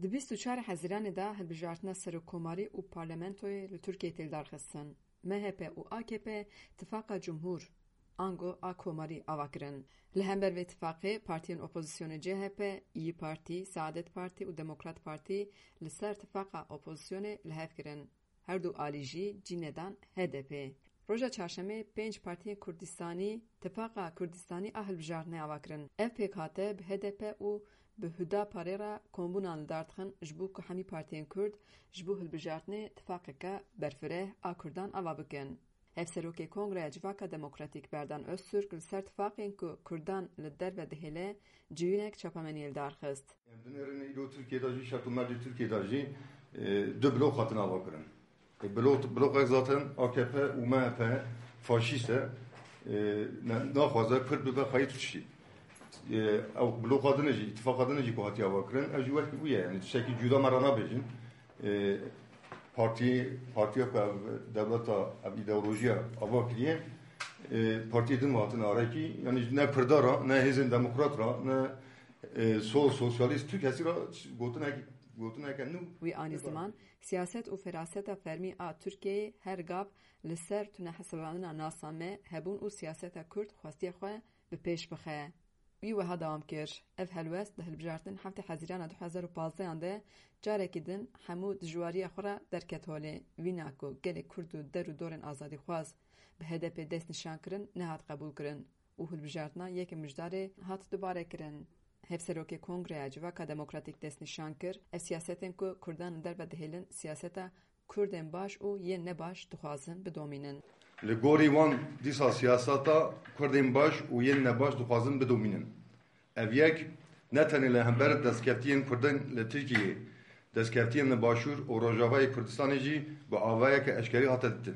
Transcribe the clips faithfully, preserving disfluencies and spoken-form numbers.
Di bîst û çar Hezîranê de hilbijartina serokkomarî û parlamentoyê li Tirkiyeyê tê lidarxistin. M H P û A K P tifaqa cumhûr, ango a komarî ava kirin. Li hember vê tifaqê partiyên opozisyonê C H P, İYİ Parti, Saadet Parti û Demokrat Parti li ser tifaqa opozisyonê li hev kirin. Her du alî jî cî nedan H D P. Roja çarşemê pênc partiyên Kurdistanî tifaqa Kurdistanî a hilbijartinê ava kirin. Ev pêkhate bi H D P û bi Hüdaparê re kombûnan li dar dixin ji bo ku hemî partiyên Kurd ji bo hilbijartinê tifaqeke berfireh a Kurdan ava bikin. Hevserokê Kongreya Civaka Demokratîk Berdan Öztürk li ser tifaqên ku Kurdan li derve dihêle civînek çapemeniyê li dar xist. Em dinêrin îro Tirkiye de jî, şert û mercê Tirkiye de jî, e, du blok hatin ava kirin. E, blok, blokek zaten A K P û M H P faşîst e. E, ne, naxwaze Kurd bibe xweyî tiştî. E, ew bloka din jî, îtifaqa din jî ku hatiye ava kirin, ev jî wekî wî ye. Yanî tiştekî cuda me re nabêjin. E, partî, partiya ku ev dewleta, ev îdeolojiya ava kiriye, e, partiyê din hatine arekî. Yanî ne Kurda re, ne hêzên demokrat re, ne, e, sol, sosyalîst, tu kesî re gotinek, gotineke nû. Wî anî ziman, siyaset û feraseta fermî a Tirkiyeyê her gav li ser tunehesibandina nasa me hebûn û siyaseta Kurd xwestiye xwe bi pêş bixe. Wî wiha dewam kir, ev helwest di hilbijartin heftê Hezîrana du hezar û pazdehan de carekî din hemû dijwariya xwe re derket holê. Vîna ku gelê Kurd û der û dorên azadîxwaz bi H D P dest nîşan kirin, nehat qebûlkirin û hilbijartina yekê Mijdarê hat dubarekirin. Hevserokê Kongreya Civaka Demokratîk dest nîşan kir, ev siyasetên ku Kurdan li derve dihêlin siyaseta Kurdên baş û yên nebaş dixwazin bidomînin. Li gorî wan dîsa siyaseta Kurdên baş û yên nebaş dixwazin bidomînin. Ev yek ne tenê li hember destkeftiyên Kurdan li Tirkiyeyê, destkeftiyên li Başûr û Rojavayê Kurdistanê jî bi avayeke eşkerî hate ditin.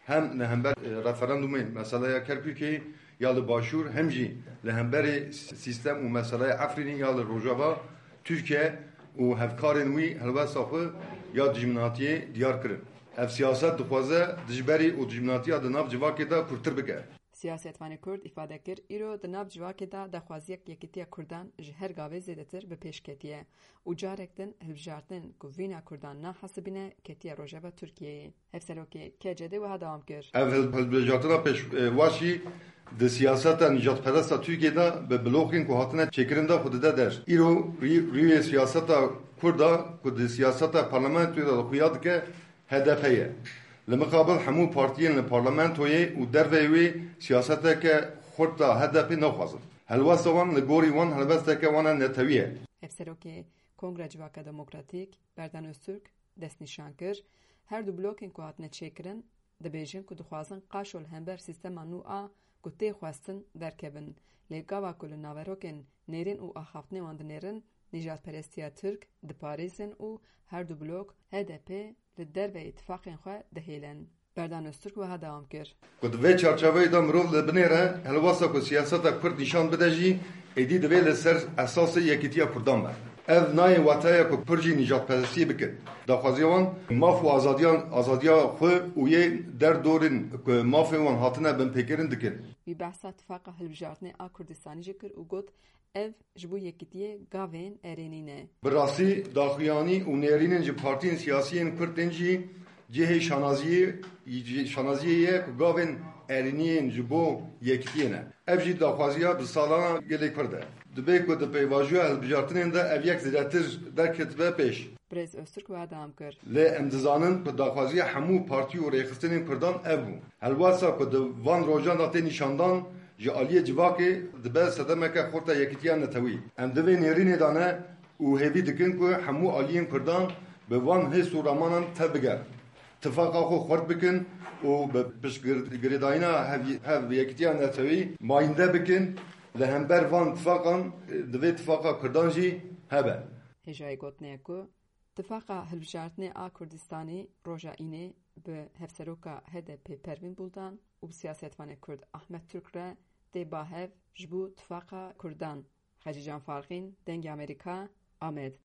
Hem li hember, e, referandumê meseleya Kerkûkê ya li Başûr, hem jî li hemberê sîstem û meseleya Efrînê ya li Rojava, Tirkiye û hevkarên wî helwesta xwe ya dijminatiyê diyar kirin. Ev siyaset dixwaze dijberî û dijminatiya di nav civakê de kûrtir bike. Siyasetvanê Kurd îfade kir, îro di nav civakê de daxwaziyek yekîtiya Kurdan ji her gavê zêdetir bi pêş ketiye û carek din hilbijartin ku vîna Kurdan nahesibîne ketiye rojeva Tirkiyeyê. Hevserokê K C D wiha dewam kir. Ev hil-, hilbijartina pêşwaşî di siyaseta nîjadperesta Tirkiyê de bi blokên ku hatine çêkirin de xwe dide der. Îro rî-, rûyê siyaseta Kurda ku di siyaseta parlamentoyê de xuya dike, H D P ye. Li mixabil hemû partiyên li parlamentoyê û derveyê wê siyaseteke xurt a H D P naxwazin. Helwesta wan li gorî wan helwesteke wan a netewî ye. Hevserokê Kongra Civaka Demokratîk, Berdan Öztürk, destnîşan kir, her du blokên ku hatine çêkirin, dibêjin ku dixwazin qaşo li hember sîstema nû a ku tê xwestin derkevin. Lê gava ku li naverokên nêrîn û axaftinê wan dinêrin, nîjadperestiya Tirk diparêzin û her du blok H D P li derveyî tifaqên xwe dihêlin. Berdan Öztürk wiha dewam kir. Ku di vê çarçeveyê de mirov li binêre helwesta ku siyaseta Kurd nîşan bide jî, êdî divê li ser esasê yekîtiya Kurdan be. Ev nayê wateya ku Kurd jî nîjadperestiyê bikin. Daxwaziya wan maf û azadiyan, azadiya xwe û yê derdorên ku mafê wan hatine binpêkirin dikin. Wî behsa tifaqa hilbijartinê a Kurdistanî jî kir û got, ev ji bo yekîtiyê gavên erênî ne. Bi rastî daxuyanî û nêrînên ji partiyên siyasî yên Kurd tên jî cihê şanaziyê, şanaziyê ye ku gavên erênî yên ji bo yekîtiyê ne. Ev jî daxwaziya bi salana gelê Kurd e. Dibe ku di pêvajoya hilbijartinên de ev yek zêdetir derketibe pêş. Birêz Öztürk wiha dewam kir. Lê em dizanin ku daxwaziya hemû partî û rêxistinên Kurdan ev bû. Helwesta ku di van rojan de tê nîşandan ji aliyê civakê dibe sedemeke xurt a yekîtiya netewî. Em di vê nêrînê de ne û hêvî dikin ku hemû aliyên Kurdan bi van hêst û ramanan tev bigerin. Tifaqa xwe xurt bikin û bi piştgirêdayîna hev, hev yekîtiya netewî mayînde bikin. Li hember van tifaqan, e, divê tifaqa Kurdan jî hebe. Hêjayî gotinê ye ku tifaqa hilbijartinê a Kurdistanî roja Înê bi hevseroka H D P Pervîn Buldan û bi siyasetvanê Kurd Ahmet Türk re tê ba hev ji bo tifaqa Kurdan. Xecîcan Farqîn, Dengê Amerîka, Amed.